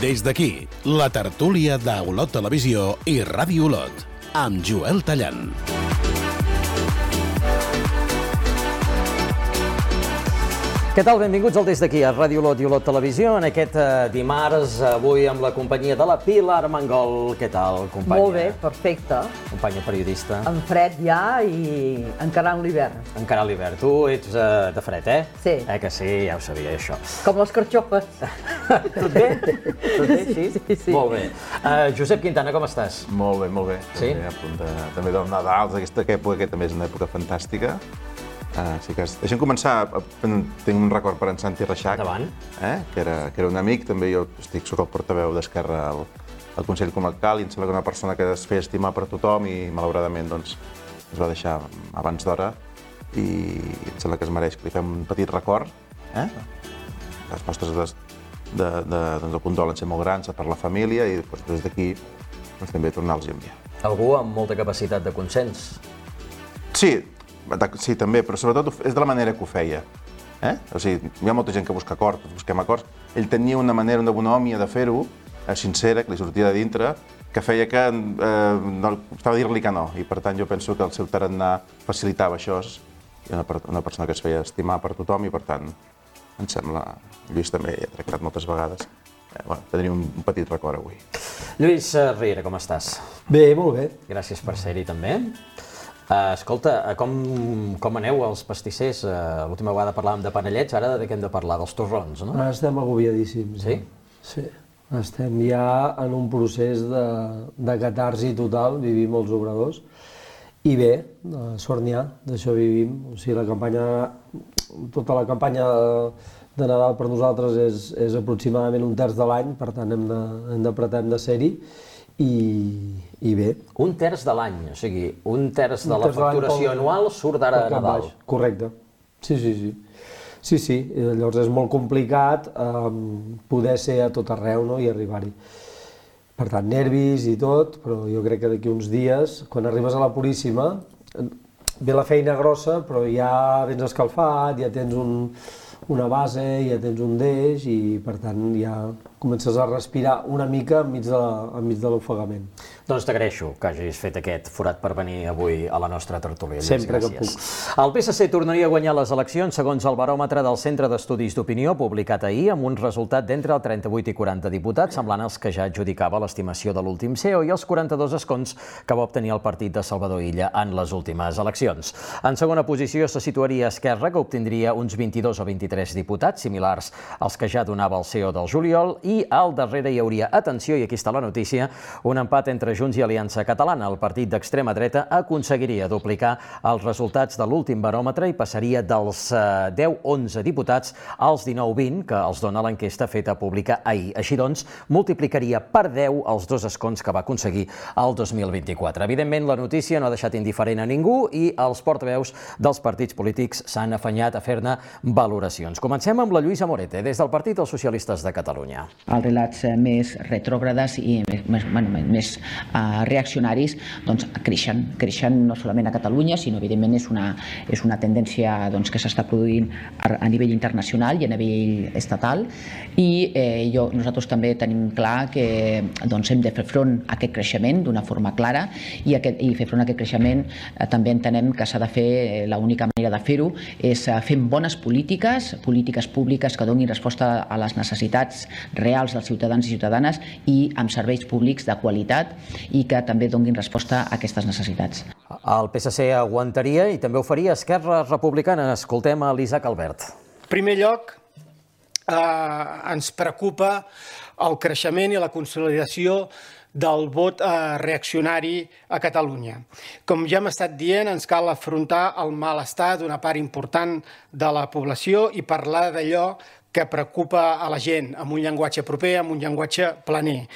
Des d'aquí, la tertúlia d'Olot Televisió i Ràdio Olot, amb Joel Tallant. Què tal? Benvinguts al Des d'aquí, a Ràdio Olot i Olot Televisió, en aquest dimarts, avui amb la companyia de la Pilar Mangol. Què tal, companya? Molt bé, perfecte. Companya periodista. En fred ja i encarant l'hivern. Encarant l'hivern. Tu ets de fred, eh? Sí. Que sí, ja ho sabia, això. Com les carxofes. Tot bé? Tot bé, sí? Sí. Molt bé. Josep Quintana, com estàs? Molt bé, molt bé. Sí? A punt també del Nadal, aquesta època, que també és una època fantàstica. Sí que deixa'm començar, tinc un record per en Santi Reixac, que era un amic, també jo soc el portaveu d'Esquerra al Consell Comarcal i em sembla que una persona que es feia estimar per tothom i malauradament doncs, es va deixar abans d'hora i em sembla que es mereix que li fem un petit record. Les nostres del condol han ser molt grans per la família i des d'aquí també tornar-los a enviar. Algú amb molta capacitat de consens. Sí, també, però sobretot és de la manera que ho feia. O sigui, hi ha molta gent que busca acords, busquem acords. Ell tenia una manera, una bonhòmia de fer-ho, sincera, que li sortia de dintre, que feia que no estava a dir-li que no. I per tant jo penso que el seu tarannà facilitava això. I una persona que es feia estimar per tothom i per tant, em sembla, Lluís també hi ha tractat moltes vegades, tindríem un petit record avui. Lluís Riera, com estàs? Bé, molt bé. Gràcies per ser-hi també. Escolta, com aneu els pastissers? L'última vegada parlàvem de panellets, ara de què hem de parlar? Dels torrons, no? Ara estem agobiadíssims. Sí? Sí. Estem ja en un procés de catarsi total, vivim els obradors. I bé, sort n'hi ha, d'això vivim. O sigui, tota la campanya de Nadal per nosaltres és aproximadament un terç de l'any, per tant hem de ser-hi. I bé. Un terç de l'any, o sigui, un terç de la facturació anual surt d'ara a Nadal. Correcte. Sí. Sí, llavors és molt complicat poder ser a tot arreu i arribar-hi. Per tant, nervis i tot, però jo crec que d'aquí uns dies, quan arribes a la Puríssima, ve la feina grossa, però ja vens escalfat, ja tens una base, ja tens un deix i, per tant, ja comences a respirar una mica enmig de l'ofegament. Doncs t'agraeixo que hagis fet aquest forat per venir avui a la nostra tertúlia. Sempre que puc. El PSC tornaria a guanyar les eleccions segons el baròmetre del Centre d'Estudis d'Opinió publicat ahir amb un resultat d'entre el 38 i 40 diputats, semblant als que ja adjudicava l'estimació de l'últim CEO i els 42 escons que va obtenir el partit de Salvador Illa en les últimes eleccions. En segona posició se situaria Esquerra, que obtindria uns 22 o 23 diputats, similars als que ja donava el CEO del juliol, i al darrere hi hauria, atenció, i aquí està la notícia, un empat entre Junts i Aliança Catalana. El partit d'extrema dreta aconseguiria duplicar els resultats de l'últim baròmetre i passaria dels 10-11 diputats als 19-20 que els dona l'enquesta feta pública ahir. Així doncs, multiplicaria per 10 els dos escons que va aconseguir el 2024. Evidentment, la notícia no ha deixat indiferent a ningú i els portaveus dels partits polítics s'han afanyat a fer-ne valoracions. Comencem amb la Lluïsa Morete, des del Partit dels Socialistes de Catalunya. Els relats més retrògrades i més reaccionaris creixen no solament a Catalunya, sinó evidentment és una tendència que s'està produint a nivell internacional i a nivell estatal i nosaltres també tenim clar que hem de fer front a aquest creixement d'una forma clara i fer front a aquest creixement també entenem que s'ha de fer, l'única manera de fer-ho és fent bones polítiques públiques que donin resposta a les necessitats reals dels ciutadans i ciutadanes i amb serveis públics de qualitat i que també donin resposta a aquestes necessitats. El PSC aguantaria i també ho faria Esquerra Republicana. Escoltem a l'Isaac Albert. En primer lloc, ens preocupa el creixement i la consolidació del vot reaccionari a Catalunya. Com ja hem estat dient, ens cal afrontar el malestar d'una part important de la població i parlar d'allò que preocupa a la gent, amb un llenguatge proper, amb un llenguatge planer.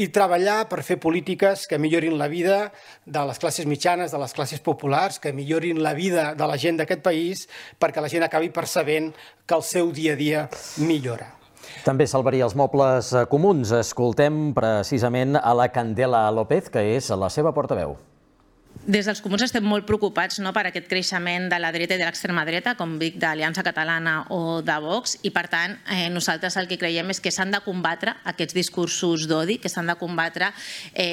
I treballar per fer polítiques que millorin la vida de les classes mitjanes, de les classes populars, que millorin la vida de la gent d'aquest país, perquè la gent acabi percebent que el seu dia a dia millora. També salvaria els mobles comuns. Escoltem precisament a la Candela López, que és la seva portaveu. Des dels comuns estem molt preocupats per aquest creixement de la dreta i de l'extrema dreta, com dic, d'Aliança Catalana o de Vox, i per tant nosaltres el que creiem és que s'han de combatre aquests discursos d'odi, que s'han de combatre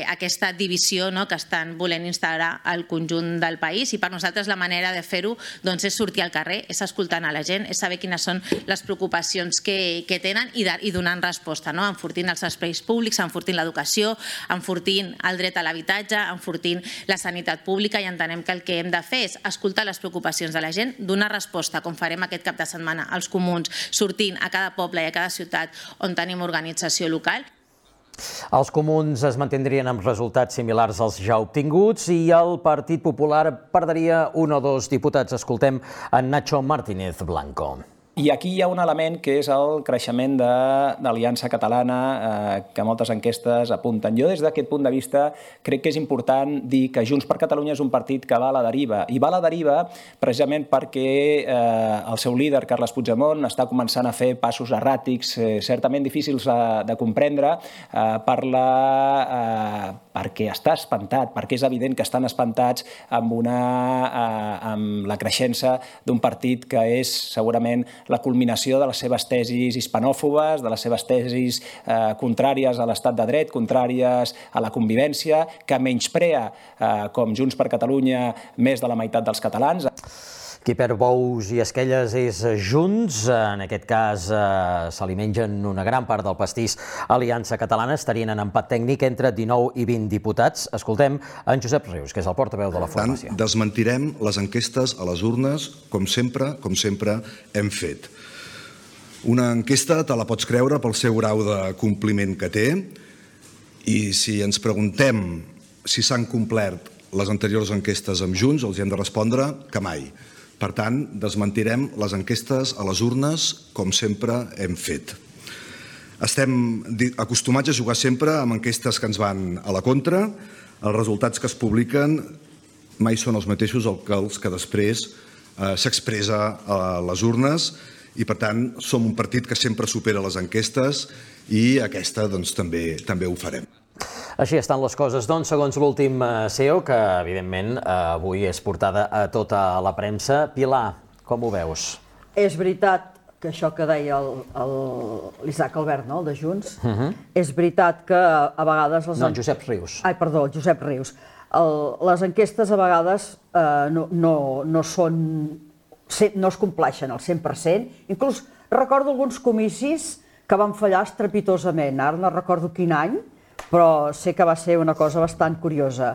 aquesta divisió que estan volent instaurar al conjunt del país, i per nosaltres la manera de fer-ho és sortir al carrer, és escoltant a la gent, és saber quines són les preocupacions que tenen i donant resposta, enfortint els espais públics, enfortint l'educació, enfortint el dret a l'habitatge, enfortint la sanitat pública, i entenem que el que hem de fer és escoltar les preocupacions de la gent, donar resposta, com farem aquest cap de setmana als comuns, sortint a cada poble i a cada ciutat on tenim organització local. Els comuns es mantindrien amb resultats similars als ja obtinguts i el Partit Popular perdria 1 o 2 diputats. Escoltem en Nacho Martínez Blanco. I aquí hi ha un element que és el creixement de l'Aliança Catalana que moltes enquestes apunten. Jo des d'aquest punt de vista crec que és important dir que Junts per Catalunya és un partit que va a la deriva. I va a la deriva precisament perquè el seu líder, Carles Puigdemont, està començant a fer passos erràtics, certament difícils de comprendre, perquè està espantat, perquè és evident que estan espantats amb la creixença d'un partit que és segurament la culminació de les seves tesis hispanòfobes, de les seves tesis contràries a l'estat de dret, contràries a la convivència, que menysprea, com Junts per Catalunya, més de la meitat dels catalans. Qui perd bous i esquelles és Junts. En aquest cas se li mengen una gran part del pastís. Aliança Catalana estarien en empat tècnic entre 19 i 20 diputats. Escoltem en Josep Rius, que és el portaveu de la formació. Desmentirem les enquestes a les urnes, com sempre hem fet. Una enquesta te la pots creure pel seu grau de compliment que té, i si ens preguntem si s'han complert les anteriors enquestes amb Junts, els hem de respondre que mai. Per tant, desmentirem les enquestes a les urnes com sempre hem fet. Estem acostumats a jugar sempre amb enquestes que ens van a la contra. Els resultats que es publiquen mai són els mateixos que els que després s'expressa a les urnes, i per tant som un partit que sempre supera les enquestes, i aquesta també ho farem. Així estan les coses, segons l'últim CEO, que evidentment avui és portada a tota la premsa. Pilar, com ho veus? És veritat que això que deia l'Isaac Albert, el de Junts, és veritat que a vegades... No, Josep Rius. Ai, perdó, Josep Rius. Les enquestes a vegades no es compleixen al 100%. Inclús recordo alguns comicis que van fallar estrepitosament. Ara no recordo quin any, però sé que va ser una cosa bastant curiosa.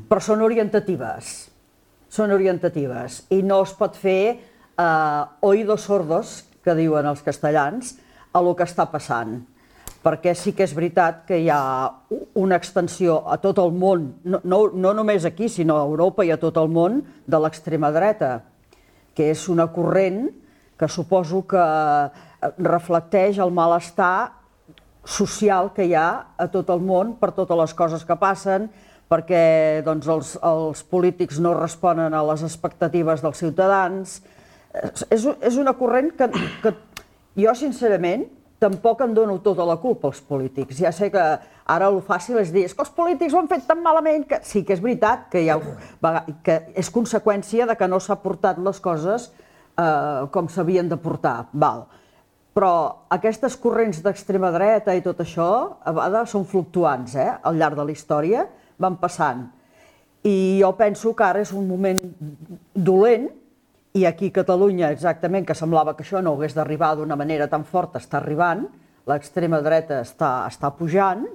Però són orientatives. I no es pot fer oídos sordos, que diuen els castellans, a lo que està passant. Perquè sí que és veritat que hi ha una extensió a tot el món, no només aquí, sinó a Europa i a tot el món, de l'extrema dreta, que és una corrent que suposo que reflecteix el malestar social que hi ha a tot el món per totes les coses que passen, perquè els polítics no responen a les expectatives dels ciutadans. És una corrent que jo, sincerament, tampoc en dono tota la culpa als polítics. Ja sé que ara el fàcil és dir que els polítics ho han fet tan malament que sí que és veritat que és conseqüència de que no s'ha portat les coses com s'havien de portar. Però aquestes corrents d'extrema dreta i tot això a vegades són fluctuants, al llarg de la història van passant. I jo penso que ara és un moment dolent, i aquí a Catalunya exactament, que semblava que això no hagués d'arribar d'una manera tan forta, està arribant, l'extrema dreta està pujant,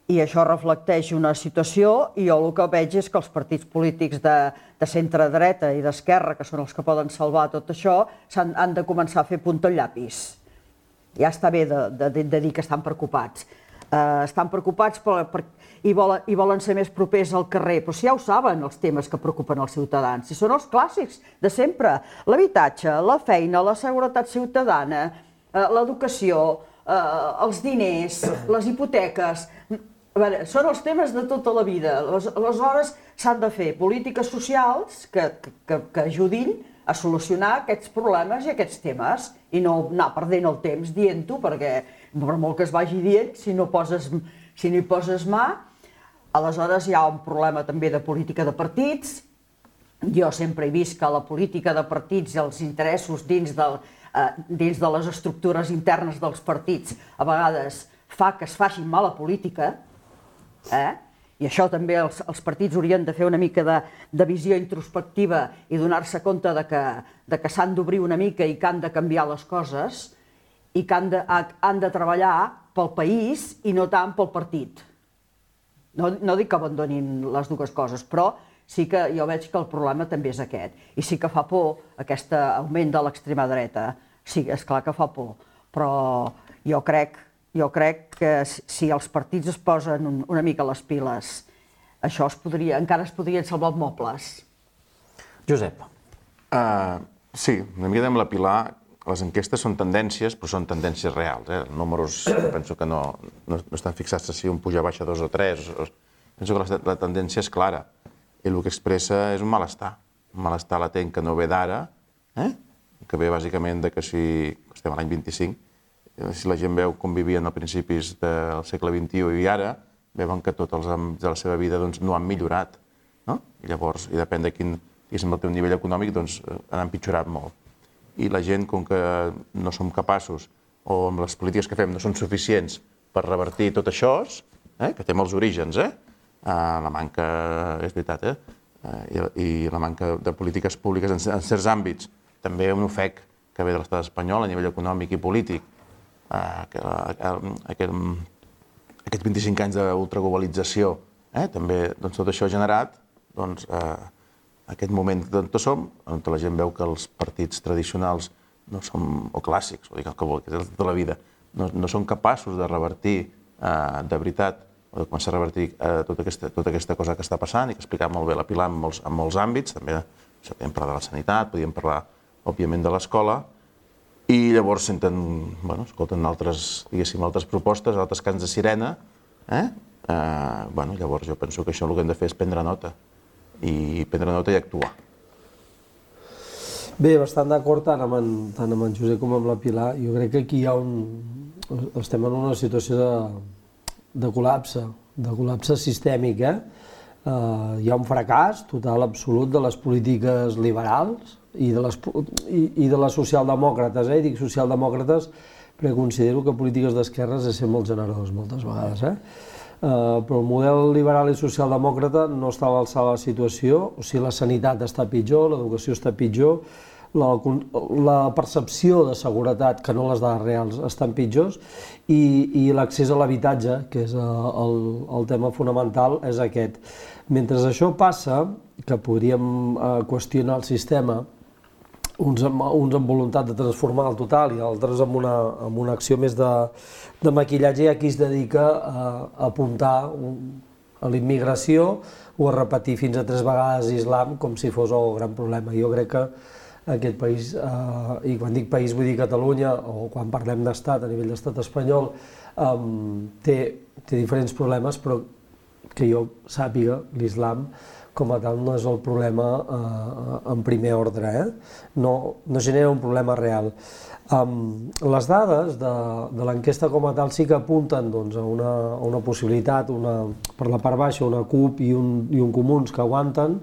i això reflecteix una situació, i jo el que veig és que els partits polítics de centre-dreta i d'esquerra, que són els que poden salvar tot això, han de començar a fer punta al llapis. Ja està bé de dir que estan preocupats. Estan preocupats i volen ser més propers al carrer, però si ja ho saben, els temes que preocupen els ciutadans. Si són els clàssics de sempre, l'habitatge, la feina, la seguretat ciutadana, l'educació, els diners, les hipoteques... Són els temes de tota la vida. Aleshores s'han de fer polítiques socials que ajudin a solucionar aquests problemes i aquests temes i no anar perdent el temps dient-ho, perquè per molt que es vagi dient, si no hi poses mà, Aleshores hi ha un problema també de política de partits. Jo sempre he vist que la política de partits i els interessos dins de les estructures internes dels partits a vegades fa que es faci mala política, i això també els partits haurien de fer una mica de visió introspectiva i donar-se compte de que s'han d'obrir una mica i que han de canviar les coses i que han de treballar pel país i no tant pel partit. No dic que abandonin les dues coses, però sí que jo veig que el problema també és aquest. I sí que fa por aquest augment de l'extrema dreta. Sí, és clar que fa por, però jo crec que si els partits es posen una mica les piles, això encara es podrien salvar els mobles. Josep. Sí, una mica amb la Pilar, les enquestes són tendències, però són tendències reals. Els números penso que no estan fixats si un puja, baixa 2 o 3. Penso que la tendència és clara. I el que expressa és un malestar. Un malestar latent que no ve d'ara, que ve bàsicament que si estem a l'any 25, si la gent veu com vivien a principis del segle XXI i ara, veuen que tots els àmbits de la seva vida no han millorat. I llavors, i depèn de quin és el teu nivell econòmic, han empitjorat molt. I la gent, com que no som capaços, o amb les polítiques que fem no són suficients per revertir tot això, que té molts orígens, la manca, és veritat, i la manca de polítiques públiques en certs àmbits, també un ofec que ve de l'estat espanyol a nivell econòmic i polític, aquests 25 anys d'ultraglobalització, també tot això ha generat aquest moment on som, on la gent veu que els partits tradicionals no són, o clàssics, o dic el que vol, que és de tota la vida, no són capaços de revertir de veritat, o de començar a revertir tota aquesta cosa que està passant i que ha explicat molt bé la Pilar en molts àmbits, també podríem parlar de la sanitat, podríem parlar, òbviament, de l'escola, i llavors escolten altres propostes, altres cants de sirena, llavors jo penso que això el que hem de fer és prendre nota, i actuar. Bé, bastant d'acord tant amb en Josep com amb la Pilar. Jo crec que aquí estem en una situació de col·lapse sistèmic. Hi ha un fracàs total absolut de les polítiques liberals i de les socialdemòcrates. Dic socialdemòcrates perquè considero que polítiques d'esquerres és ser molt generós moltes vegades. Però el model liberal i socialdemòcrata no està a l'alçada de la situació, o sigui, la sanitat està pitjor, l'educació està pitjor, la percepció de seguretat, que no les dades reals, estan pitjors, i l'accés a l'habitatge, que és el tema fonamental, és aquest. Mentre això passa, que podríem qüestionar el sistema, uns amb voluntat de transformar el total i altres amb una acció més de maquillatge, i aquí es dedica a apuntar a la immigració o a repetir fins a 3 vegades islam com si fos el gran problema. Jo crec que aquest país, i quan dic país vull dir Catalunya, o quan parlem d'estat, a nivell d'estat espanyol, té diferents problemes, però que jo sàpiga, l'islam com a tal no és el problema en primer ordre, no genera un problema real. Les dades de l'enquesta com a tal sí que apunten a una possibilitat, per la part baixa una CUP i un Comuns que aguanten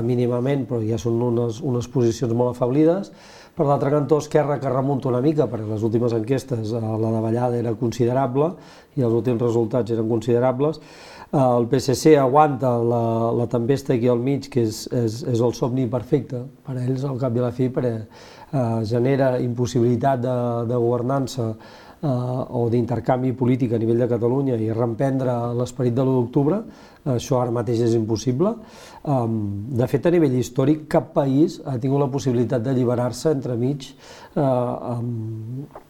mínimament, però ja són unes posicions molt afeblides. Per l'altre cantó, Esquerra, que remunta una mica, perquè les últimes enquestes la davallada era considerable i els últims resultats eren considerables. El PSC aguanta la tempesta aquí al mig, que és el somni perfecte per a ells, al cap i a la fi, perquè genera impossibilitat de governança o d'intercanvi polític a nivell de Catalunya i reemprendre l'esperit de l'1 d'octubre, això ara mateix és impossible. De fet, a nivell històric, cap país ha tingut la possibilitat d'alliberar-se entremig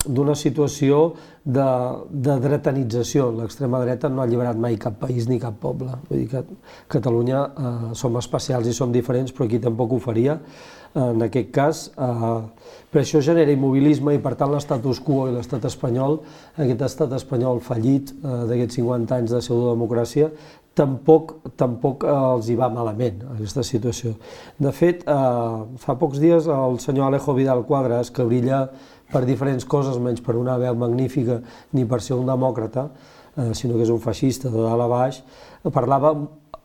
d'una situació de dretanització. L'extrema dreta no ha alliberat mai cap país ni cap poble. Vull dir que Catalunya som especials i som diferents, però aquí tampoc ho faria. En aquest cas, per això genera immobilisme i per tant l'estatus quo i l'estat espanyol, aquest estat espanyol fallit d'aquests 50 anys de pseudodemocràcia, tampoc els hi va malament aquesta situació. De fet, fa pocs dies el senyor Alejo Vidal Quadras, que brilla per diferents coses, menys per una veu magnífica ni per ser un demòcrata, sinó que és un feixista de dalt a baix, parlava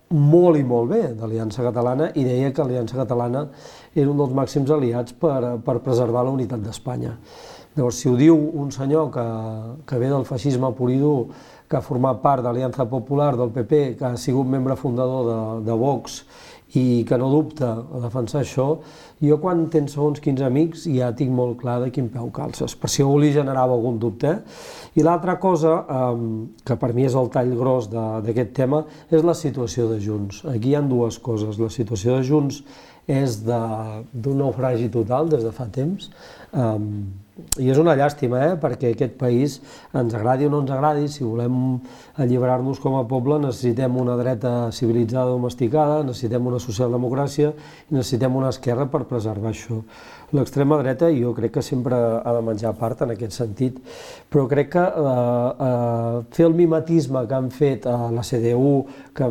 molt i molt bé d'Aliança Catalana i deia que Aliança Catalana era un dels màxims aliats per preservar la unitat d'Espanya. Llavors, si ho diu un senyor que ve del feixisme pur i dur, que ha format part d'Aliança Popular, del PP, que ha sigut membre fundador de Vox i que no dubta a defensar això, jo quan tens segons quins amics ja tinc molt clar de quin peu calces, per si algú li generava algun dubte. I l'altra cosa, que per mi és el tall gros d'aquest tema, és la situació de Junts. Aquí hi ha dues coses. La situació de Junts és d'un naufragi total des de fa temps, i és una llàstima, perquè aquest país, ens agradi o no ens agradi, si volem alliberar-nos com a poble, necessitem una dreta civilitzada domesticada, necessitem una socialdemocràcia i necessitem una esquerra per preservar això. L'extrema dreta jo crec que sempre ha de menjar part en aquest sentit, però crec que fer el mimetisme que han fet a la CDU, que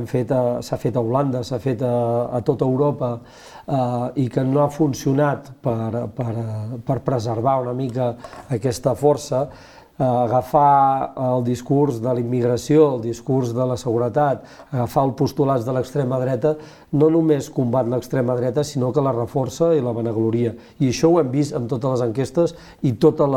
s'ha fet a Holanda, s'ha fet a tota Europa, i que no ha funcionat per preservar una mica aquesta força, agafar el discurs de la immigració, el discurs de la seguretat, agafar els postulats de l'extrema dreta, no només combat l'extrema dreta, sinó que la reforça i la vanagloria. I això ho hem vist en totes les enquestes i tots els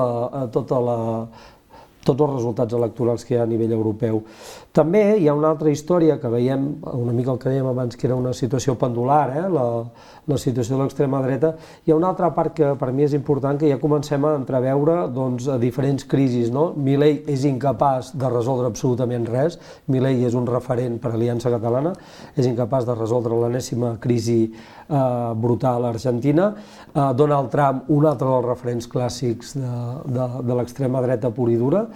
resultats electorals que hi ha a nivell europeu. També hi ha una altra història que veiem, una mica el que dèiem abans, que era una situació pendular, la situació de l'extrema dreta. Hi ha una altra part que per mi és important, que ja comencem a entreveure diferents crisis. Milei és incapaç de resoldre absolutament res. Milei és un referent per a Aliança Catalana, és incapaç de resoldre l'enèsima crisi brutal a Argentina. Donald Trump, un altre dels referents clàssics de l'extrema dreta pura i dura,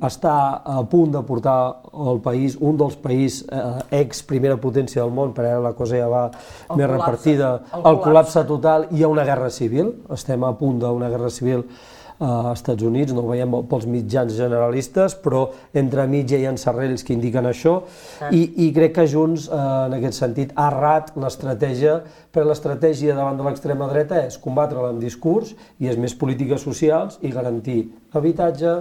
està a punt de portar el país, un dels països ex-primera potència del món, però ara la cosa ja va més repartida, al col·lapse total, i hi ha una guerra civil, estem a punt d'una guerra civil als Estats Units, no ho veiem pels mitjans generalistes, però entremig hi ha encerrells que indiquen això, i crec que Junts, en aquest sentit, ha errat l'estratègia, perquè l'estratègia davant de l'extrema dreta és combatre-la amb discurs, i és més polítiques socials i garantir habitatge,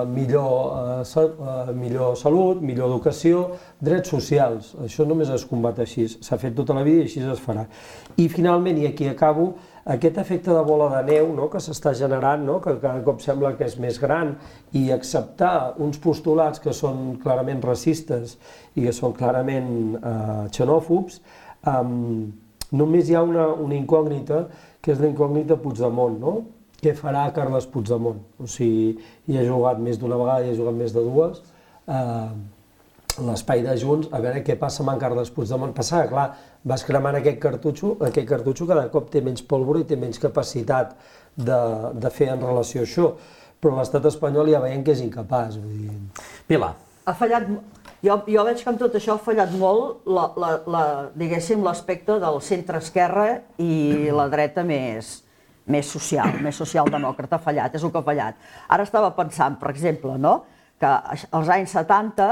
millor salut, millor educació, drets socials. Això només es combat així, s'ha fet tota la vida i així es farà. I finalment, i aquí acabo, aquest efecte de bola de neu que s'està generant, que cada cop sembla que és més gran, i acceptar uns postulats que són clarament racistes i que són clarament xenòfobs, només hi ha una incògnita, que és la incògnita Puigdemont, què farà Carles Puigdemont? O sigui, hi ha jugat més d'una vegada, hi ha jugat més de dues, l'espai de Junts, a veure què passa amb en Carles Puigdemont. Passava, clar, vas cremant aquest cartutxo cada cop té menys pólvora i té menys capacitat de fer en relació a això, però l'estat espanyol ja veiem que és incapaç. Pilar. Ha fallat, jo veig que amb tot això ha fallat molt, diguéssim, l'aspecte del centre-esquerra i la dreta més socialdemòcrata. Ha fallat, és el que ha fallat. Ara estava pensant, per exemple, que als anys 70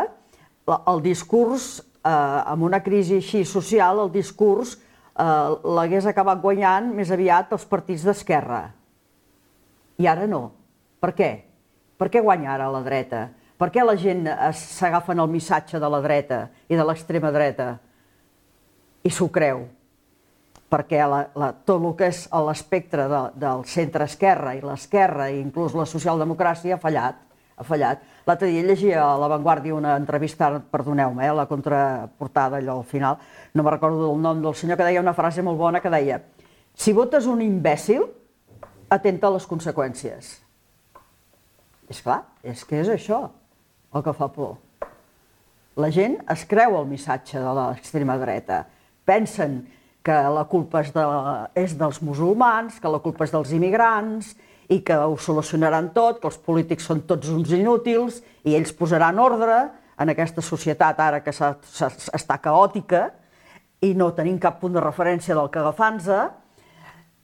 el discurs, amb una crisi així social, el discurs l'hagués acabat guanyant més aviat els partits d'esquerra. I ara no. Per què? Per què guanya ara la dreta? Per què la gent s'agafen el missatge de la dreta i de l'extrema dreta i s'ho creu? Perquè tot el que és l'espectre del centre-esquerra i l'esquerra i inclús la socialdemocràcia ha fallat. L'altre dia llegia a La Vanguardia una entrevista, perdoneu-me, la contraportada allò al final, no me recordo el nom del senyor, que deia una frase molt bona que deia: si votes un imbècil, atenta a les conseqüències. És clar, és que és això el que fa por. La gent es creu el missatge de l'extrema dreta. Pensen que la culpa és dels musulmans, que la culpa és dels immigrants i que ho solucionaran tot, que els polítics són tots uns inútils i ells posaran ordre en aquesta societat ara que està caòtica i no tenim cap punt de referència del que agafar-nos,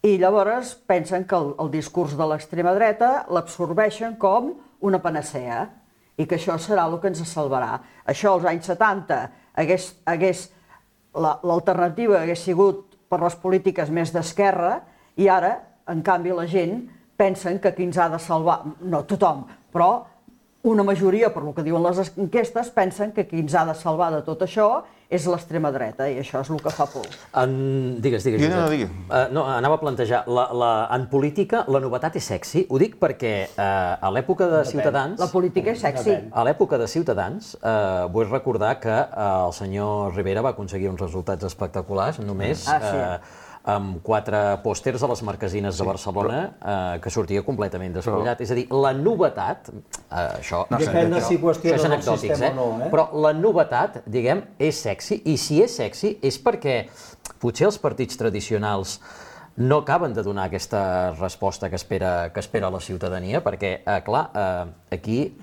i llavors pensen que el discurs de l'extrema dreta l'absorbeixen com una panacea i que això serà el que ens salvarà. Això als anys 70 l'alternativa hagués sigut per les polítiques més d'esquerra i ara, en canvi, la gent pensen que qui ens ha de salvar, no tothom, però una majoria, per el que diuen les enquestes, pensen que qui ens ha de salvar de tot això és l'extrema dreta, i això és el que fa por. Digues, Josep. No, anava a plantejar, en política la novetat és sexy. Ho dic perquè a l'època de Ciutadans... La política és sexy. A l'època de Ciutadans, vull recordar que el senyor Rivera va aconseguir uns resultats espectaculars, només amb 4 pòsters a les marquesines de Barcelona, que sortia completament despullat. És a dir, la novetat, això és anecdòtic, però la novetat, diguem, és sexy, i si és sexy és perquè potser els partits tradicionals no acaben de donar aquesta resposta que espera la ciutadania, perquè, clar, aquí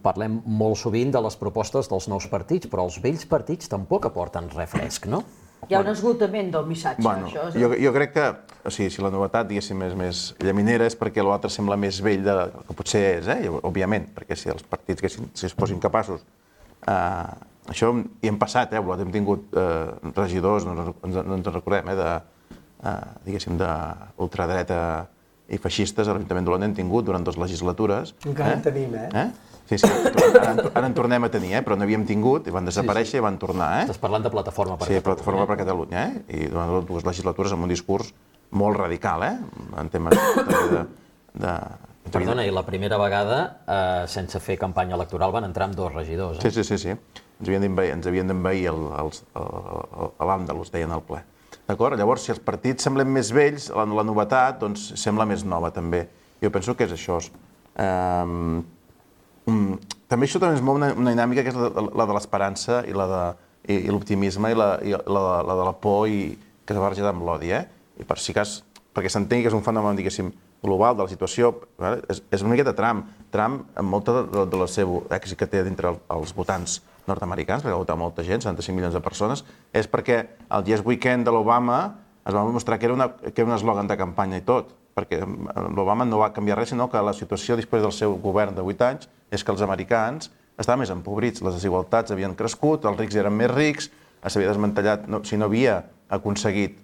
parlem molt sovint de les propostes dels nous partits, però els vells partits tampoc aporten res fresc, no? Hi ha un esgotament del missatge. Jo crec que, si la novetat, diguéssim, és més llaminera, és perquè l'altre sembla més vell del que potser és, òbviament, perquè si els partits es posin capaços... Això hi hem passat, hem tingut regidors, no ens recordem, diguéssim, d'ultradreta i feixistes a l'Ajuntament d'Olona, hem tingut durant 2 legislatures. Encara en tenim, Sí, ara en tornem a tenir, però no havíem tingut, i van desaparèixer i van tornar. Estàs parlant de Plataforma per Catalunya. Sí, Plataforma per Catalunya, i durant 2 legislatures amb un discurs molt radical, en temes de... Perdona, i la primera vegada, sense fer campanya electoral, van entrar amb 2 regidors. Sí. Ens havien d'envair l'Àndalus, deien al ple. D'acord? Llavors, si els partits semblen més vells, la novetat doncs sembla més nova, també. Jo penso que és això. També això també és una dinàmica que és la de l'esperança i l'optimisme i la de la por que s'ha barrejat amb l'odi. I per si cas, perquè s'entengui que és un fenomen, diguéssim, global de la situació, és una miqueta Trump. Trump, amb molt del seu èxit que té dintre els votants nord-americans, perquè ha votat molta gent, 75 milions de persones, és perquè el Yes Weekend de l'Obama es va demostrar que era un eslògan de campanya i tot, perquè l'Obama no va canviar res, sinó que la situació després del seu govern de 8 anys és que els americans estaven més empobrits, les desigualtats havien crescut, els rics eren més rics, s'havia desmantellat, si no havia aconseguit,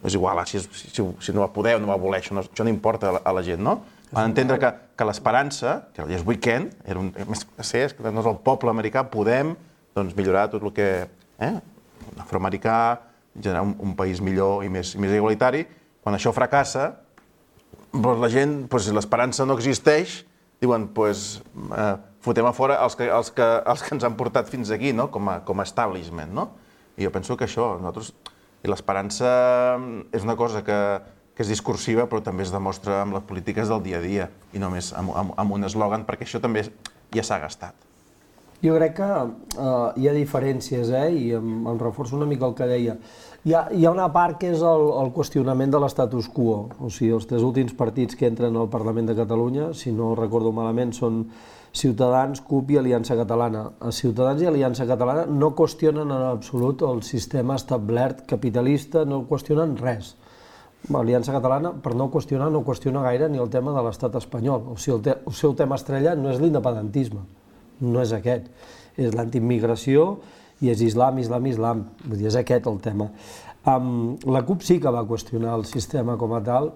és igual, si no va poder o no va voler, això no importa a la gent, no? Van entendre que l'esperança, que el Yes Weekend, és que no és el poble americà, podem millorar tot el que... afroamericà, generar un país millor i més igualitari. Quan això fracassa, la gent, si l'esperança no existeix, diuen, fotem a fora els que ens han portat fins aquí, com a establishment. I jo penso que això, i l'esperança és una cosa que és discursiva, però també es demostra amb les polítiques del dia a dia, i només amb un eslògan, perquè això també ja s'ha gastat. Jo crec que hi ha diferències, i em reforço una mica el que deia. Hi ha una part que és el qüestionament de l'estatus quo. O sigui, els 3 últims partits que entren al Parlament de Catalunya, si no recordo malament, són Ciutadans, CUP i Aliança Catalana. Ciutadans i Aliança Catalana no qüestionen en absolut el sistema establert capitalista, no qüestionen res. L'Aliança Catalana, per no qüestionar, no qüestiona gaire ni el tema de l'estat espanyol. O sigui, el seu tema estrella no és l'independentisme, no és aquest. És l'antiimmigració i és islam. Vull dir, és aquest el tema. La CUP sí que va qüestionar el sistema com a tal,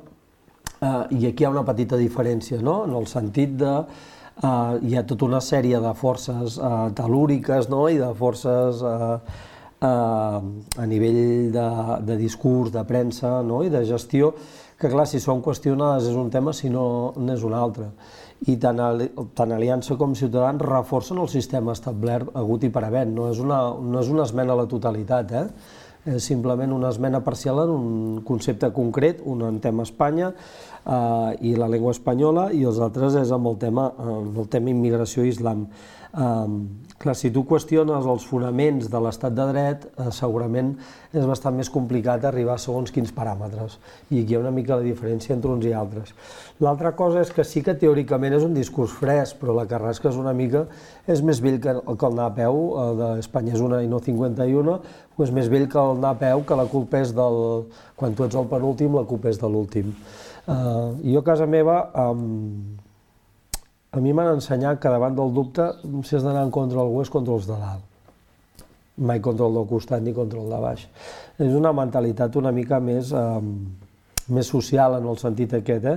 i aquí hi ha una petita diferència, no? En el sentit de... hi ha tota una sèrie de forces tel·lúriques i de forces a nivell de discurs, de premsa i de gestió, que clar, si són qüestionades és un tema, si no n'és un altre. I tant Aliança com Ciutadans reforcen el sistema establert hagut i per haver. No és una esmena a la totalitat, és simplement una esmena parcial en un concepte concret, un en tema Espanya i la llengua espanyola, i els altres és amb el tema immigració i islam. Clar, si tu qüestiones els fonaments de l'estat de dret, segurament és bastant més complicat arribar a segons quins paràmetres, i aquí hi ha una mica la diferència entre uns i altres. L'altra cosa és que sí que teòricament és un discurs fresc, però la carrasca és una mica, és més vell que el anar a peu, d'Espanya és una i no 51, és més vell que el anar a peu, que la culpa és del... Quan tu ets el penúltim, la culpa és de l'últim. Jo a casa meva... A mi m'han ensenyat que davant del dubte, si has d'anar en contra d'algú, és contra els de dalt. Mai contra el del costat ni contra el de baix. És una mentalitat una mica més social en el sentit aquest,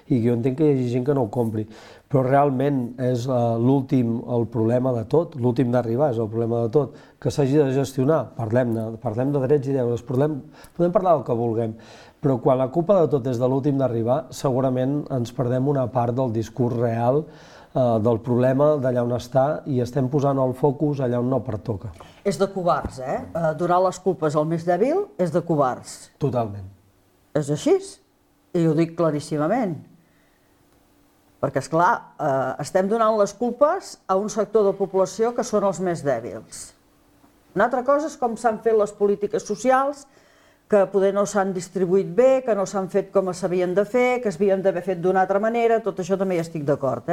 i jo entenc que hi hagi gent que no ho compri. Però realment és l'últim, el problema de tot, l'últim d'arribar és el problema de tot, que s'hagi de gestionar. Parlem de drets i deures, podem parlar del que vulguem, però quan la culpa de tot és de l'últim d'arribar, segurament ens perdem una part del discurs real del problema d'allà on està i estem posant el focus allà on no pertoca. És de covards, Donar les culpes al més dèbil és de covards. Totalment. És així, i ho dic claríssimament. Perquè, esclar, estem donant les culpes a un sector de població que són els més dèbils. Una altra cosa és com s'han fet les polítiques socials, que poder no s'han distribuït bé, que no s'han fet com s'havien de fer, que s'havien d'haver fet d'una altra manera, tot això també hi estic d'acord,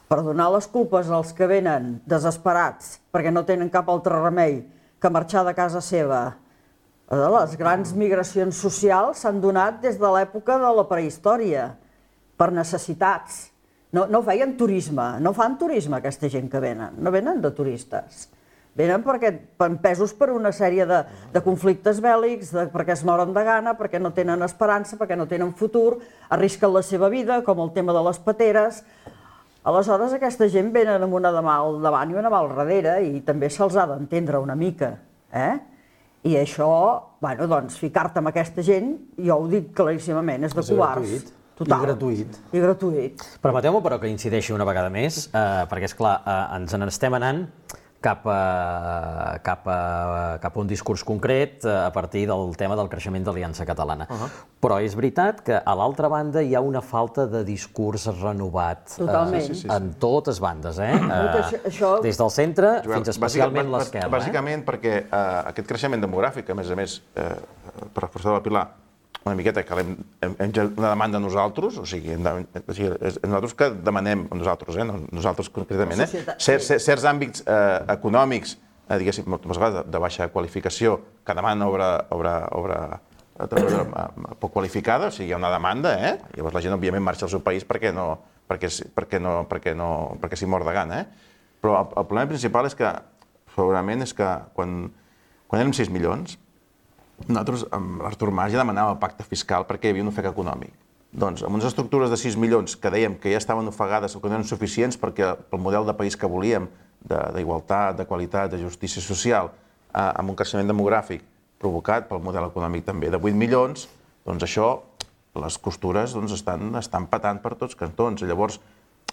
Per donar les culpes als que venen desesperats perquè no tenen cap altre remei que marxar de casa seva. Les grans migracions socials s'han donat des de l'època de la prehistòria, per necessitats. No feien turisme, no fan turisme aquesta gent que venen, no venen de turistes. Venen perquè empesos per una sèrie de conflictes bèl·lics, perquè es moren de gana, perquè no tenen esperança, perquè no tenen futur, arrisquen la seva vida, com el tema de les pateres. Aleshores, aquesta gent venen amb una de mà al davant i una mà al darrere i també se'ls ha d'entendre una mica. I això, doncs, ficar-te amb aquesta gent, jo ho dic claríssimament, és de covards. I gratuït. Permeteu-me, però, que incideixi una vegada més, perquè, esclar, ens n'estem anant cap a un discurs concret a partir del tema del creixement d'Aliança Catalana. Però és veritat que a l'altra banda hi ha una falta de discurs renovat en totes bandes, des del centre fins especialment l'esquerra. Bàsicament perquè aquest creixement demogràfic, a més, per reforçar la Pilar, una miqueta que hem una demanda nosaltres, o sigui, nosaltres que demanem, nosaltres concretament, certs àmbits econòmics, diguéssim, moltes vegades de baixa qualificació, que demanen obra poc qualificada, o sigui, hi ha una demanda, llavors la gent, òbviament, marxa al seu país perquè s'hi mor de gana, però el problema principal és que, segurament, és que quan érem 6 milions, nosaltres, amb l'Artur Mas, ja demanàvem el pacte fiscal perquè hi havia un ofec econòmic. Doncs, amb unes estructures de 6 milions que dèiem que ja estaven ofegades o que no eren suficients perquè el model de país que volíem, d'igualtat, de qualitat, de justícia social, amb un creixement demogràfic provocat pel model econòmic també de 8 milions, doncs això, les costures estan patant per tots cantons. Llavors,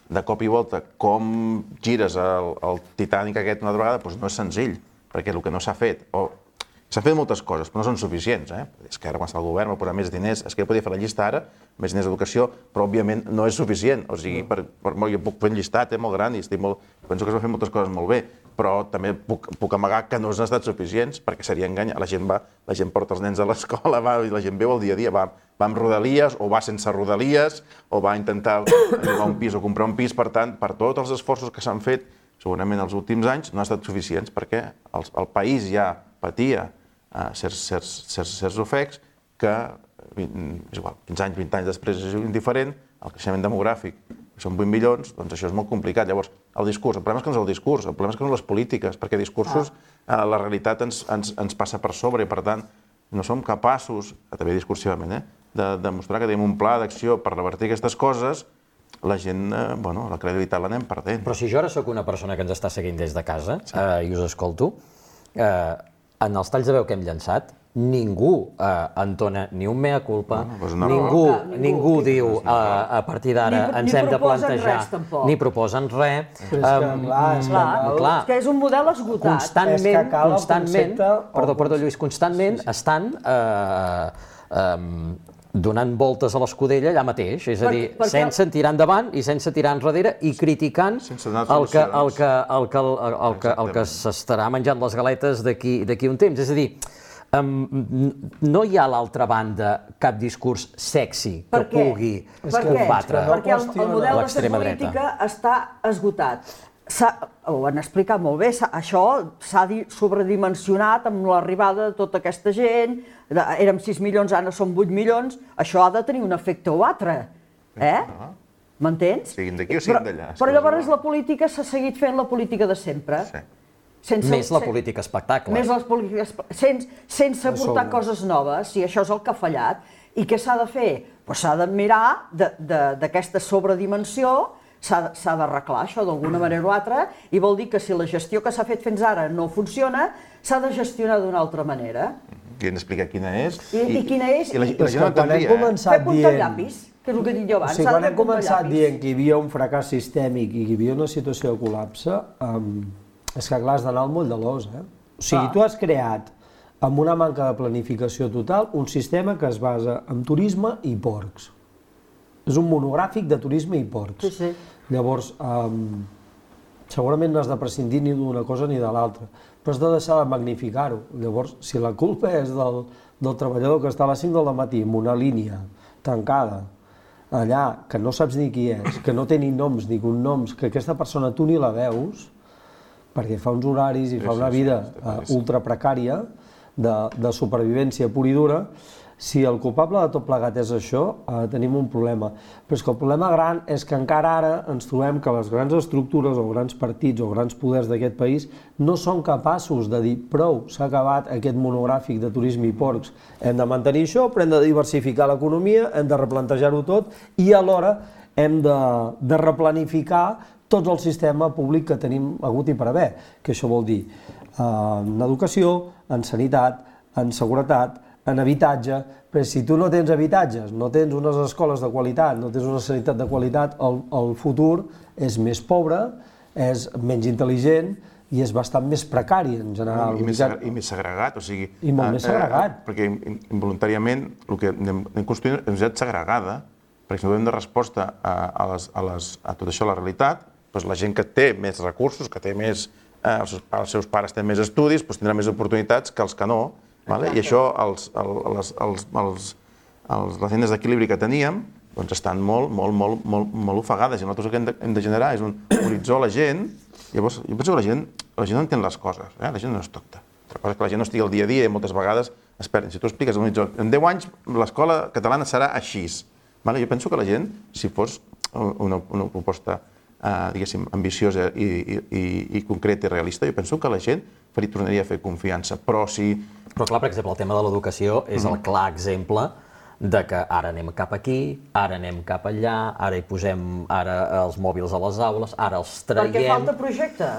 de cop i volta, com gires el Titanic aquest una altra vegada, no és senzill, perquè el que no s'ha fet, s'han fet moltes coses, però no són suficients. És que ara quan està el govern va posar més diners, és que jo podia fer la llista ara, més diners d'educació, però òbviament no és suficient. O sigui, jo puc fer un llistat molt gran i penso que es va fer moltes coses molt bé, però també puc amagar que no han estat suficients, perquè seria enganyar. La gent porta els nens a l'escola, i la gent veu el dia a dia, va amb rodalies o va sense rodalies, o va intentar llogar un pis o comprar un pis. Per tant, per tots els esforços que s'han fet, segurament els últims anys, no han estat suficients, perquè el país ja patia certs ofecs que, és igual, 15 anys, 20 anys després és indiferent, el creixement demogràfic, que són 8 milions, doncs això és molt complicat. Llavors, el discurs, el problema és que no és el discurs, el problema és que no són les polítiques, perquè discursos, la realitat ens passa per sobre i, per tant, no som capaços, també discursivament, de demostrar que tenim un pla d'acció per revertir aquestes coses. La gent, la credibilitat l'anem perdent. Però si jo ara sóc una persona que ens està seguint des de casa i us escolto, en els talls de veu que hem llançat, ningú entona ni un mea culpa, ningú diu a partir d'ara ens hem de plantejar, ni proposen res. Clar, que és un model esgotat. Constantment, Lluís, constantment estan donant voltes a l'escudella allà mateix, és a dir, sense tirar endavant i sense tirar enrere i criticant el que s'estarà menjant les galetes d'aquí un temps. És a dir, no hi ha a l'altra banda cap discurs sexy que pugui combatre l'extrema dreta. Perquè el model de fer política està esgotat. Ho han explicat molt bé, això s'ha sobredimensionat amb l'arribada de tota aquesta gent, érem 6 milions, ara són 8 milions, això ha de tenir un efecte o altre, M'entens? Siguin d'aquí o siguin d'allà. Però llavors la política s'ha seguit fent la política de sempre. Més la política espectacle. Més les polítiques... Sense portar coses noves, i això és el que ha fallat. I què s'ha de fer? S'ha de mirar d'aquesta sobredimensió, s'ha d'arreglar això d'alguna manera o altra, i vol dir que si la gestió que s'ha fet fins ara no funciona, s'ha de gestionar d'una altra manera. I hem d'explicar quina és. I quina és... I la gent no entendria, Fer punta al llapis, que és el que he dit jo abans. Quan hem començat dient que hi havia un fracàs sistèmic i que hi havia una situació de col·lapse, és que clar, has d'anar al moll de l'os. O sigui, tu has creat, amb una manca de planificació total, un sistema que es basa en turisme i porcs. És un monogràfic de turisme i porcs. Llavors, segurament no has de prescindir ni d'una cosa ni de l'altra, però has de deixar de magnificar-ho. Llavors, si la culpa és del treballador que està a les 5 del matí en una línia tancada, allà, que no saps ni qui és, que no té ni noms ni cognoms, que aquesta persona tu ni la veus, perquè fa uns horaris i fa una vida ultra precària, de supervivència pura i dura, si el culpable de tot plegat és això, tenim un problema. Però és que el problema gran és que encara ara ens trobem que les grans estructures o grans partits o grans poders d'aquest país no són capaços de dir prou, s'ha acabat aquest monogràfic de turisme i porcs, hem de mantenir això, però hem de diversificar l'economia, hem de replantejar-ho tot i alhora hem de replanificar tot el sistema públic que tenim hagut i per haver, que això vol dir en educació, en sanitat, en seguretat, en habitatge, però si tu no tens habitatges, no tens unes escoles de qualitat, no tens una sanitat de qualitat, el futur és més pobre, és menys intel·ligent i és bastant més precari en general. I més segregat, o sigui... I molt més segregat. Perquè involuntàriament el que anem construint és una societat segregada, perquè si no donem de resposta a tot això, a la realitat, la gent que té més recursos, que té més... els seus pares tenen més estudis, tindrà més oportunitats que els que no, i això, les línies d'equilibri que teníem estan molt ofegades i nosaltres el que hem de generar és un horitzó a la gent. Llavors, jo penso que la gent no entén les coses, la gent no és tonta. La cosa és que la gent no estigui al dia a dia i moltes vegades es perden. Si tu expliques l'horitzó, en 10 anys l'escola catalana serà així. Jo penso que la gent, si fos una proposta diguéssim, ambiciosa i concreta i realista, jo penso que la gent tornaria a fer confiança, però si... Però clar, per exemple, el tema de l'educació és el clar exemple de que ara anem cap aquí, ara anem cap allà, ara hi posem els mòbils a les aules, ara els traiem... Perquè falta projecte.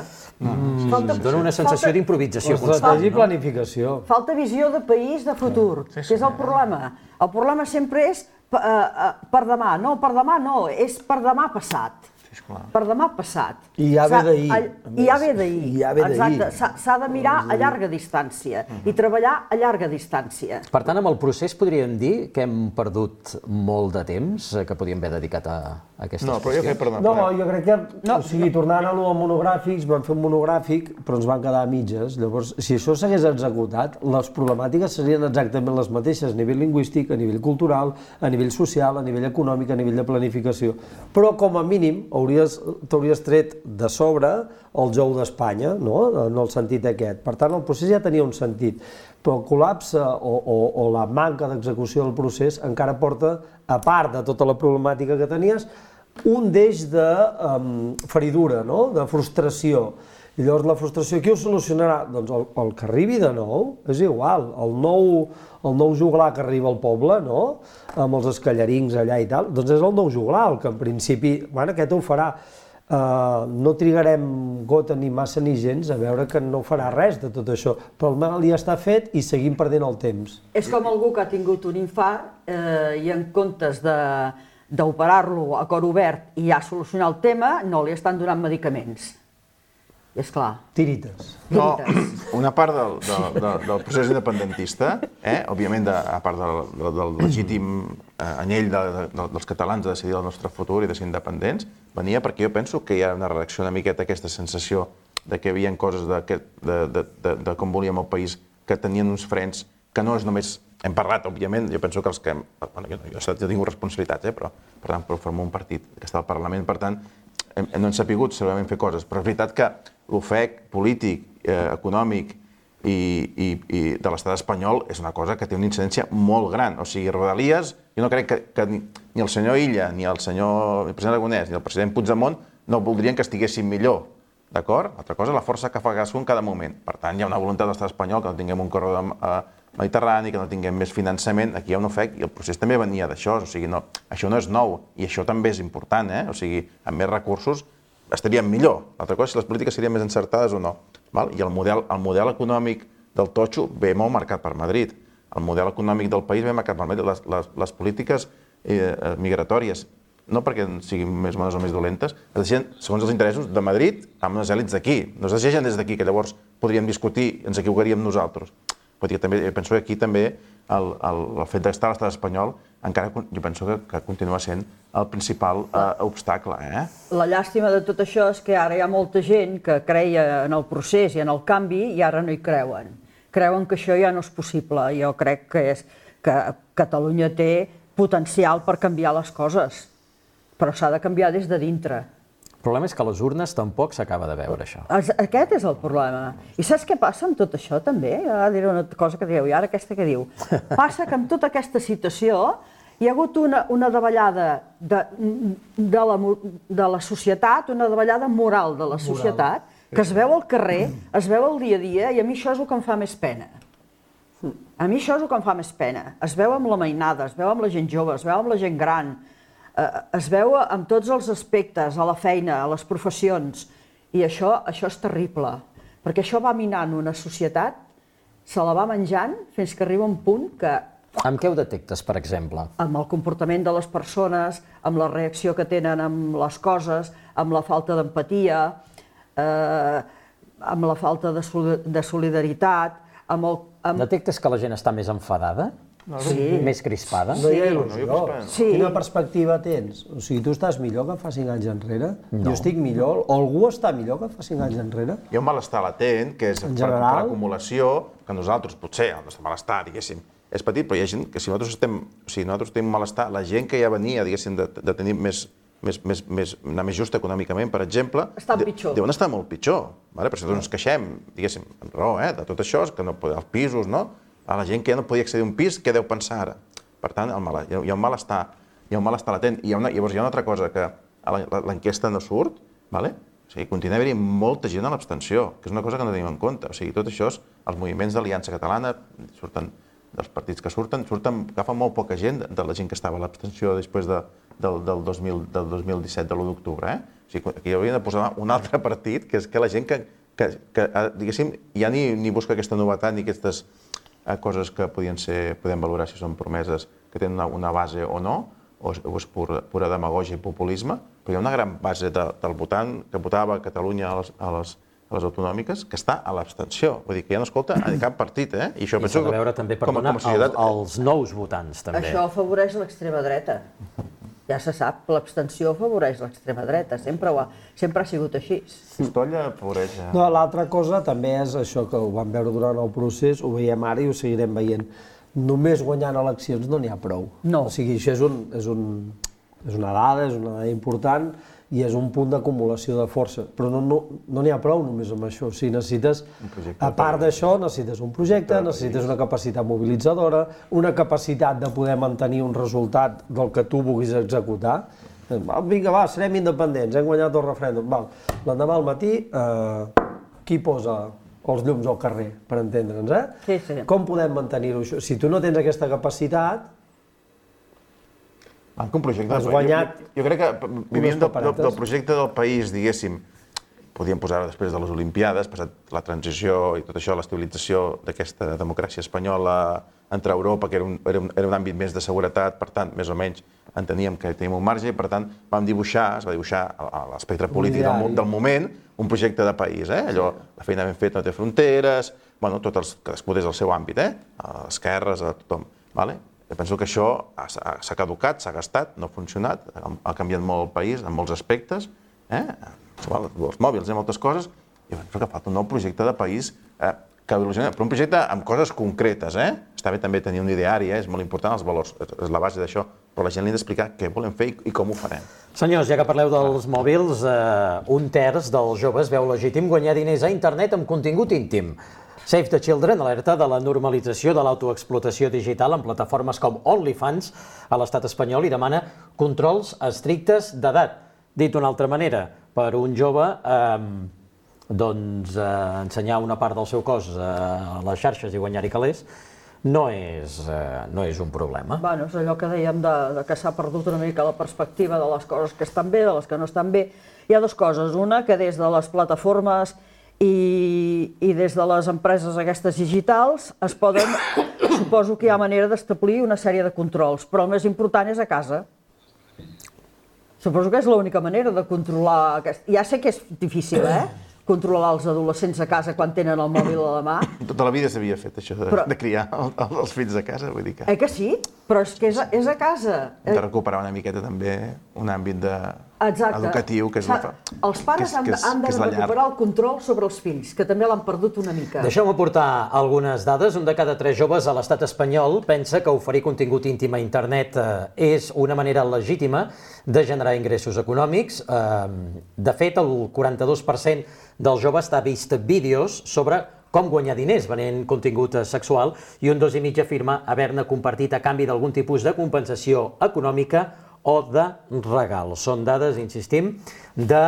Dona una sensació d'improvisació constant. Estratègia i planificació. Falta visió de país, de futur, que és el problema. El problema sempre és per demà. No, per demà no, és per demà passat. Per demà passat. I ja ve d'ahir. I ja ve d'ahir. Exacte. S'ha de mirar a llarga distància i treballar a llarga distància. Per tant, amb el procés podríem dir que hem perdut molt de temps que podíem haver dedicat a aquestes qüestions. No, jo crec que, o sigui, tornant a l'u monogràfics, vam fer un monogràfic, però ens van quedar a mitges. Llavors, si això s'hagués executat, les problemàtiques serien exactament les mateixes, a nivell lingüístic, a nivell cultural, a nivell social, a nivell econòmic, a nivell de planificació. Però, com a mínim, t'hauries tret de sobre el jou d'Espanya, en el sentit aquest. Per tant, el procés ja tenia un sentit, però el col·lapse o la manca d'execució del procés encara porta, a part de tota la problemàtica que tenies, un deix de feridura, de frustració. I llavors la frustració qui ho solucionarà? Doncs el que arribi de nou, és igual, el nou juglar que arriba al poble, amb els escallarins allà i tal, doncs és el nou juglar, el que en principi, aquest ho farà. No trigarem gota ni massa ni gens a veure que no farà res de tot això, però el mal ja està fet i seguim perdent el temps. És com algú que ha tingut un infart i en comptes d'operar-lo a cor obert i ja solucionar el tema, no li estan donant medicaments. I és clar. Tirites. No, una part del procés independentista, òbviament, a part del legítim anyell dels catalans de decidir el nostre futur i de ser independents, venia perquè jo penso que hi ha una reacció una miqueta aquesta sensació de que hi havia coses de com volíem el país que tenien uns frens que no és només... Hem parlat, òbviament, jo penso que els que... Jo he tingut responsabilitats, però per tant, formo un partit que està al Parlament, per tant, no hem sapigut segurament fer coses, però és veritat que l'ofec polític, econòmic i de l'estat espanyol és una cosa que té una incidència molt gran. O sigui, Rodalies, jo no crec que ni el senyor Illa, ni el president Aragonès, ni el president Puigdemont no voldrien que estiguessin millor. d'acord? L'altra cosa és la força que fa cadascú en cada moment. Per tant, hi ha una voluntat de l'estat espanyol que no tinguem un corredor mediterrani, que no tinguem més finançament, aquí hi ha un ofec, i el procés també venia d'això, o sigui, això no és nou, i això també és important, o sigui, amb més recursos estaríem millor. L'altra cosa és si les polítiques serien més encertades o no. I el model econòmic del totxo ve molt marcat per Madrid. El model econòmic del país ve marcat per Madrid. Les polítiques migratòries, no perquè siguin més bones o més dolentes, es deixen segons els interessos de Madrid amb unes èlits d'aquí. No es deixen des d'aquí, que llavors podríem discutir i ens equivocaríem nosaltres. Penso que aquí també el fet d'estar a l'estat espanyol encara jo penso que continua sent el principal obstacle. La llàstima de tot això és que ara hi ha molta gent que creia en el procés i en el canvi i ara no hi creuen. Creuen que això ja no és possible. Jo crec que Catalunya té potencial per canviar les coses, però s'ha de canviar des de dintre. El problema és que a les urnes tampoc s'acaba de veure això. Aquest és el problema. I saps què passa amb tot això també? Ara diré una cosa que dieu, i ara aquesta que diu. Passa que amb tota aquesta situació hi ha hagut una davallada de la societat, una davallada moral de la societat, que es veu al carrer, es veu al dia a dia, i a mi això és el que em fa més pena. A mi això és el que em fa més pena. Es veu amb la mainada, es veu amb la gent jove, es veu amb la gent gran, es veu en tots els aspectes, a la feina, a les professions, i això és terrible, perquè això va minant una societat, se la va menjant fins que arriba un punt que... Amb què ho detectes, per exemple? Amb el comportament de les persones, amb la reacció que tenen amb les coses, amb la falta d'empatia, amb la falta de solidaritat, amb el... Detectes que la gent està més enfadada? Sí. Més crispada? No hi ha il·lusió. Quina perspectiva tens? O sigui, tu estàs millor que fa 5 anys enrere? Jo estic millor? O algú està millor que fa 5 anys enrere? Hi ha un malestar latent, que és per acumulació, que nosaltres, potser, el nostre malestar, diguéssim, és petit, però hi ha gent que si nosaltres tenim malestar, la gent que ja venia, diguéssim, de tenir anar més just econòmicament, per exemple, deuen estar molt pitjor. Per això ens queixem, diguéssim, amb raó, de tot això, que no poden els pisos, no? A la gent que ja no podia accedir a un pis, què deu pensar ara? Per tant, hi ha un malestar latent. I llavors hi ha una altra cosa, que l'enquesta no surt, continua havent-hi molta gent a l'abstenció, que és una cosa que no tenim en compte. O sigui, tot això, els moviments d'Aliança Catalana, dels partits que surten, agafen molt poca gent de la gent que estava a l'abstenció després del 2017, de l'1 d'octubre. O sigui, aquí haurien de posar un altre partit, que és que la gent que diguéssim, ja ni busca aquesta novetat ni aquestes coses que podem valorar si són promeses que tenen una base o no, o és pura demagògia i populisme, però hi ha una gran base del votant que votava a Catalunya a les autonòmiques que està a l'abstenció. Vull dir que ja no escolta a cap partit, I això penso que... I s'ha de veure també, perdona, els nous votants, també. Això afavoreix l'extrema dreta. Ja se sap, l'abstenció afavoreix l'extrema dreta, sempre ha sigut així. Pistolla afavoreix... No, l'altra cosa també és això que ho vam veure durant el procés, ho veiem ara i ho seguirem veient. Només guanyant eleccions no n'hi ha prou. No. O sigui, això és una dada important i és un punt d'acumulació de força. Però no n'hi ha prou només amb això. O sigui, necessites, a part d'això, necessites un projecte, necessites una capacitat mobilitzadora, una capacitat de poder mantenir un resultat del que tu vulguis executar. Vinga, va, serem independents, hem guanyat el referèndum. L'endemà al matí, qui posa els llums al carrer, per entendre'ns, Sí. Com podem mantenir-ho això? Si tu no tens aquesta capacitat... Un projecte del país. Jo crec que vivint del projecte del país, diguéssim, podíem posar-ho després de les Olimpiades, passat la transició i tot això, l'estabilització d'aquesta democràcia espanyola entre Europa, que era un àmbit més de seguretat, per tant, més o menys enteníem que teníem un marge i, per tant, es va dibuixar a l'espectre polític del moment un projecte de país. Allò, la feina ben feta no té fronteres, cadascú des del seu àmbit, a les esquerres, a tothom. Jo penso que això s'ha caducat, s'ha gastat, no ha funcionat, ha canviat molt el país en molts aspectes, els mòbils i moltes coses, i penso que falta un nou projecte de país que il·lusiona, però un projecte amb coses concretes. Està bé també tenir un ideari, és molt important, els valors, és la base d'això, però la gent li ha d'explicar què volem fer i com ho farem. Senyors, ja que parleu dels mòbils, 1/3 dels joves veu legítim guanyar diners a internet amb contingut íntim. Save the Children alerta de la normalització de l'autoexplotació digital en plataformes com OnlyFans a l'estat espanyol i demana controls estrictes d'edat. Dit d'una altra manera, per un jove ensenyar una part del seu cos a les xarxes i guanyar-hi calés no és un problema. Bueno, és allò que dèiem que s'ha perdut una mica la perspectiva de les coses que estan bé, de les que no estan bé. Hi ha dues coses. Una, que des de les plataformes i des de les empreses aquestes digitals suposo que hi ha manera d'establir una sèrie de controls, però el més important és a casa. Suposo que és l'única manera de controlar... Ja sé que és difícil, controlar els adolescents a casa quan tenen el mòbil a la mà. Tota la vida s'havia fet això de criar els fills a casa, vull dir que... Que sí? Però és que és a casa. Hem de recuperar una miqueta també un àmbit educatiu, que és la llar. Els pares han de recuperar el control sobre els fills, que també l'han perdut una mica. Deixeu-me aportar algunes dades. Un de cada 3 joves a l'estat espanyol pensa que oferir contingut íntim a internet és una manera legítima de generar ingressos econòmics. De fet, el 42% dels joves ha vist vídeos sobre com guanyar diners venent contingut sexual i un 2,5% afirma haver-ne compartit a canvi d'algun tipus de compensació econòmica o de regal. Són dades, insistim, de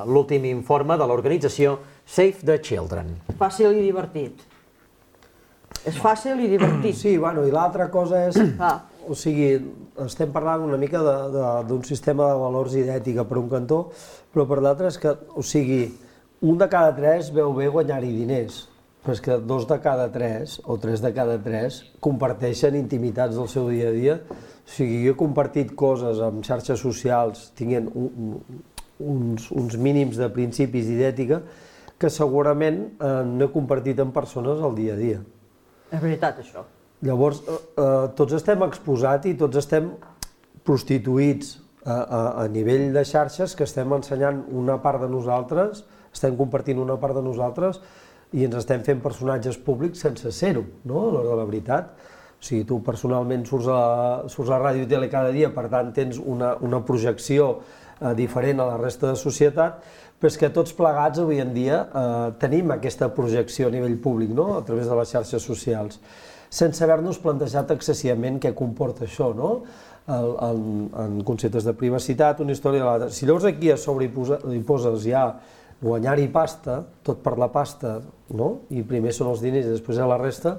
l'últim informe de l'organització Save the Children. Fàcil i divertit. És fàcil i divertit. Sí, bueno, i l'altra cosa és... O sigui, estem parlant una mica d'un sistema de valors i d'ètica per un cantó, però per l'altre és que, o sigui, un de cada 3 veu bé guanyar-hi diners, però és que 2 de cada 3 o 3 de cada 3 comparteixen intimitats del seu dia a dia. O sigui, jo he compartit coses amb xarxes socials tinguent uns mínims de principis i d'ètica que segurament no he compartit amb persones al dia a dia. És veritat, això. Llavors, tots estem exposats i tots estem prostituïts a nivell de xarxes, que estem ensenyant una part de nosaltres, estem compartint una part de nosaltres i ens estem fent personatges públics sense ser-ho, no? A l'hora de la veritat. O sigui, tu personalment surts a ràdio i tele cada dia, per tant tens una projecció diferent a la resta de societat, però és que tots plegats avui en dia tenim aquesta projecció a nivell públic, no? A través de les xarxes socials, sense haver-nos plantejat excessivament què comporta això, no? En conceptes de privacitat, una història de l'altra. Si llavors aquí a sobre hi poses ja guanyar-hi pasta, tot per la pasta, no? I primer són els diners i després la resta,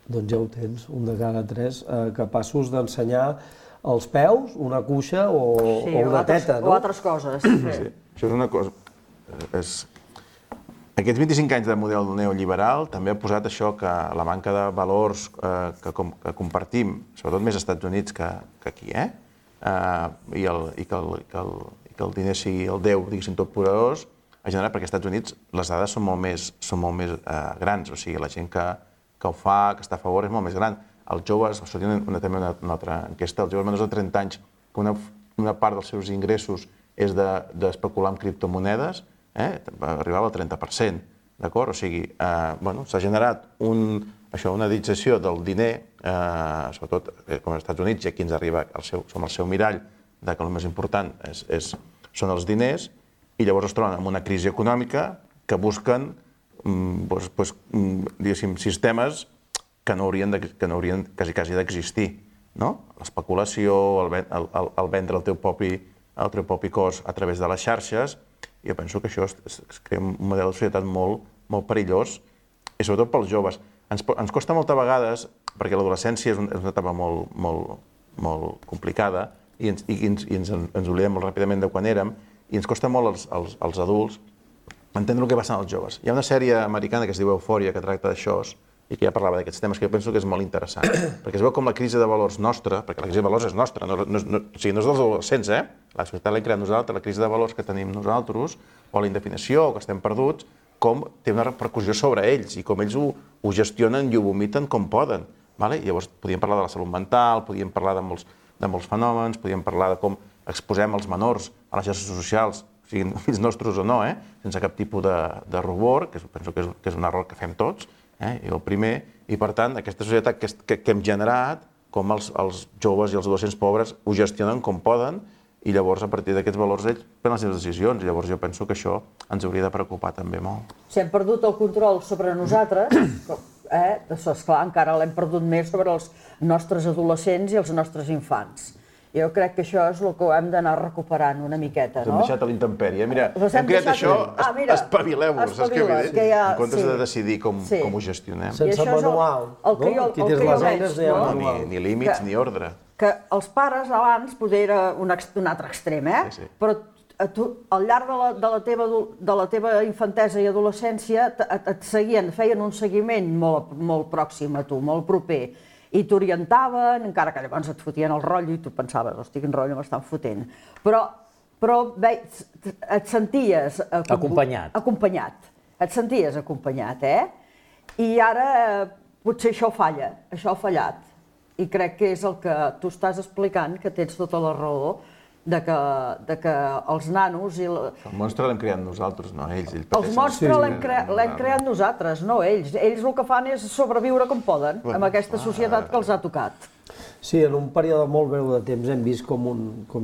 doncs ja ho tens, un de cada 3 capaços d'ensenyar els peus, una cuixa o una teta, no? O altres coses. Sí, això és una cosa... Aquests 25 anys de model neoliberal també ha posat això, que la manca de valors que compartim, sobretot més als Estats Units que aquí, i que el diner sigui el Déu, diguéssim, tot poderós, ha generat, perquè als Estats Units les dades són molt més grans, o sigui, la gent que ho fa, que està a favor, és molt més gran. Els joves, sortia també una altra enquesta, els joves menors de 30 anys, que una part dels seus ingressos és d'especular amb criptomonedes, arribava al 30%, d'acord? O sigui, s'ha generat una dització del diner, sobretot com als Estats Units, i aquí ens arriba, som el seu mirall, que el més important són els diners, i llavors es troben amb una crisi econòmica que busquen, diguéssim, sistemes que no haurien quasi d'existir, no? L'especulació, el vendre el teu propi cos a través de les xarxes. Jo penso que això es crea un model de societat molt perillós, i sobretot pels joves. Ens costa moltes vegades, perquè l'adolescència és una etapa molt complicada, i ens oblidem molt ràpidament de quan érem, i ens costa molt als adults entendre el que passa als joves. Hi ha una sèrie americana que es diu Eufòria, que tracta d'això, i que ja parlava d'aquests temes, que jo penso que és molt interessant, perquè es veu com la crisi de valors nostra, perquè la crisi de valors és nostra, o sigui, no és dels adolescents, la societat l'hem creat nosaltres, la crisi de valors que tenim nosaltres, o la indefinició, o que estem perduts, com té una repercussió sobre ells, i com ells ho gestionen i ho vomiten com poden. Llavors podíem parlar de la salut mental, podíem parlar de molts fenòmens, podíem parlar de com exposem els menors a les xarxes socials, siguin fills nostres o no, sense cap tipus de rubor, que penso que és un error que fem tots, i el primer, i per tant aquesta societat que hem generat, com els joves i els adolescents pobres ho gestionen com poden, i llavors a partir d'aquests valors ells prenen les seves decisions, i llavors jo penso que això ens hauria de preocupar també molt. Si hem perdut el control sobre nosaltres, esclar, encara l'hem perdut més sobre els nostres adolescents i els nostres infants. Jo crec que això és el que hem d'anar recuperant una miqueta, no? Hem deixat a l'intempèrie. Mira, hem creat això, espavileu-vos, saps què vull dir? En comptes de decidir com ho gestionem. Sense manual, no? Aquí tens les eines, no hi ha manual. Ni límits, ni ordre. Que els pares abans, potser era un altre extrem, però al llarg de la teva infantesa i adolescència et seguien, feien un seguiment molt pròxim a tu, molt proper, i t'orientaven, encara que llavors et fotien el rotllo i tu pensaves, hosti, quin rotllo m'estan fotent. Però et senties... Acompanyat. Et senties acompanyat, I ara potser això falla, això ha fallat. I crec que és el que tu estàs explicant, que tens tota la raó, de que els nanos... El monstre l'hem creat nosaltres, no ells. El monstre l'hem creat nosaltres, no ells. Ells el que fan és sobreviure com poden, amb aquesta societat que els ha tocat. Sí, en un període molt breu de temps hem vist com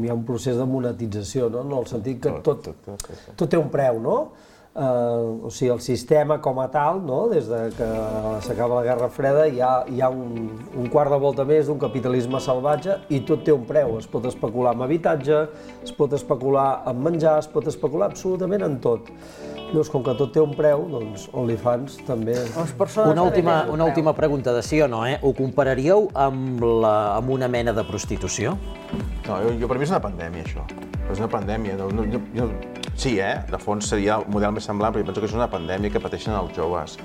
hi ha un procés de monetització, no? En el sentit que tot té un preu, no? O sigui, el sistema com a tal, no? Des que s'acaba la Guerra Freda hi ha un quart de volta més d'un capitalisme salvatge i tot té un preu. Es pot especular amb habitatge, es pot especular amb menjar, es pot especular absolutament en tot. Llavors, com que tot té un preu, doncs OnlyFans també... Una última pregunta de sí o no, Ho compararíeu amb una mena de prostitució? No, per mi és una pandèmia, això. És una pandèmia. Sí, de fons seria el model més semblant, però jo penso que és una pandèmia que pateixen els joves.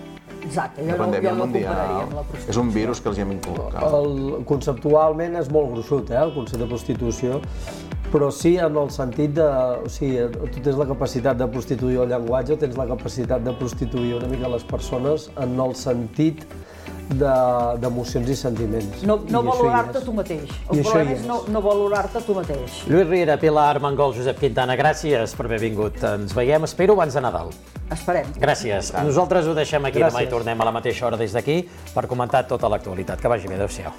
Exacte, jo no compararia amb la prostitució. És un virus que els hi hem inculcat. Conceptualment és molt gruixut, el concepte de prostitució, però sí en el sentit de... O sigui, tu tens la capacitat de prostituir el llenguatge, tens la capacitat de prostituir una mica les persones en el sentit d'emocions i sentiments. No valorar-te tu mateix. El problema és no valorar-te tu mateix. Lluís Riera, Pilar Armengol, Josep Quintana, gràcies per haver vingut. Ens veiem, espero, abans de Nadal. Esperem. Gràcies. Nosaltres ho deixem aquí, demà i tornem a la mateixa hora des d'aquí per comentar tota l'actualitat. Que vagi bé, adéu-siau.